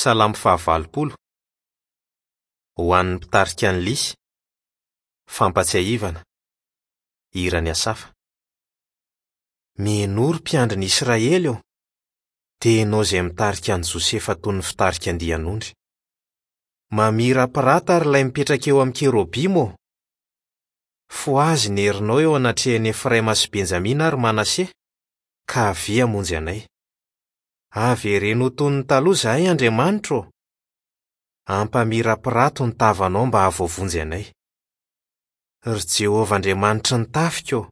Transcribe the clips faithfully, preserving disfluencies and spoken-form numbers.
Salamo fahavalopolo. Ho an'ny mpitarika ny lisy. Fampatsiahivana. Hiran'i Asafa. Mihainoa ry mpiandry ny Israely ô! Dia ianao izay mitarika an'i Josefa toy ny fitarika andian'ondry. Mamirapirata ary ilay mipetraka eo amin'ny kerobima ô! Fohazy ny herinao eo anatrehan'i Efraima sy Benjamina ary Manase, ka avia hamonjy anay. Avereno ho toy ny taloha izahay, Andriamanitra ô! Ampamirapirato ny tavanao mba hahavoavonjy anay. Ry Jehovah Andriamanitry ny tafika ô!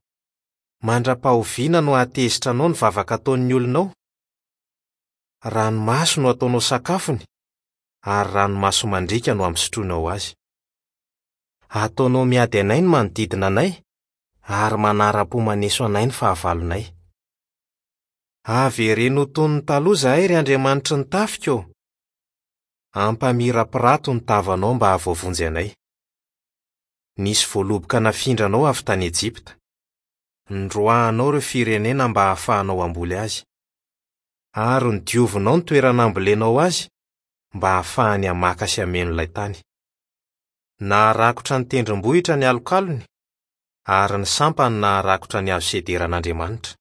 Mandra-pahoviana no hahatezitra anao ny vavaka ataon'ny olonao? Ranomaso no ataonao sakafony, ary ranomaso mandriaka no ampisotroinao azy. Ataonao miady anay ny manodidina anay, ary manara-po maneso anay ny fahavalonay. Avereno ho toy ny taloha izahay, ry Andriamanitry ny tafika ô! Ampamirapirato ny tavanao mba hahavoavonjy anay. Nisy voaloboka nafindranao avy tany Ejipta. Noroahanao ireo firenena mba hahafahanao hamboly azy. Ary nodiovinao ny toerana hambolenao azy mba hahafahany hamaka sy hameno ilay tany. Naharakotra ny tendrombohitra ny alokalony, ary ny sampany naharakotra ny hazo sederan'Andriamanitra.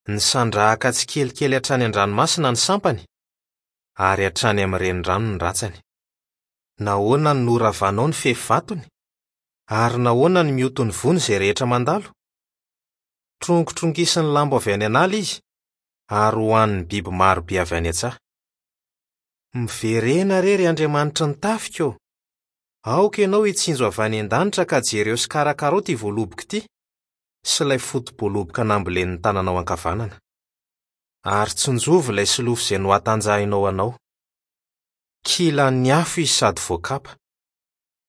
Nisandrahaka tsikelikely hatrany an-dranomasina ny sampany, ary hatrany amin'ny renirano ny ratsany. Nahoana no noravanao ny fefy vatony? Ary nahoana no mioty ny voany izay rehetra mandalo? Trongitrongisa ny lambo avy any an'ala izy, ary hohanin'ny biby marobe avy any an-tsaha. Miverena re, ry Andriamanitry ny tafika ô! Aoka ianao hitsinjo avy any an-danitra ka jereo sy karakarao ity voaloboka ity, sy ilay foto-boaloboka nambolen'ny tananao ankavanana. Ary tsinjovy ilay solofo izay nohatanjahinao anao. Kilan'ny afo izy sady voakapa.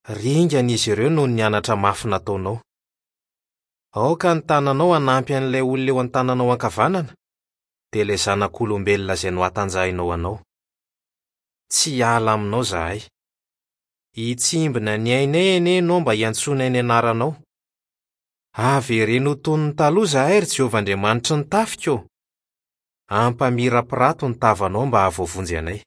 Ringana izy ireo noho ny anatra mafy nataonao. Aoka ny tananao hanampy an'ilay olona eo an-tananao ankavanana, dia ilay zanak'olombelona izay nohatanjahinao anao. Tsy hiala aminao izahay. Hitsimbina ny ainay anie ianao mba hiantsoanay ny anaranao. Avereno ho toy ny taloha izahay, ry Jehovah Andriamanitry ny tafika ô! Ampamirapirato ny tavanao mba hahavoavonjy anay.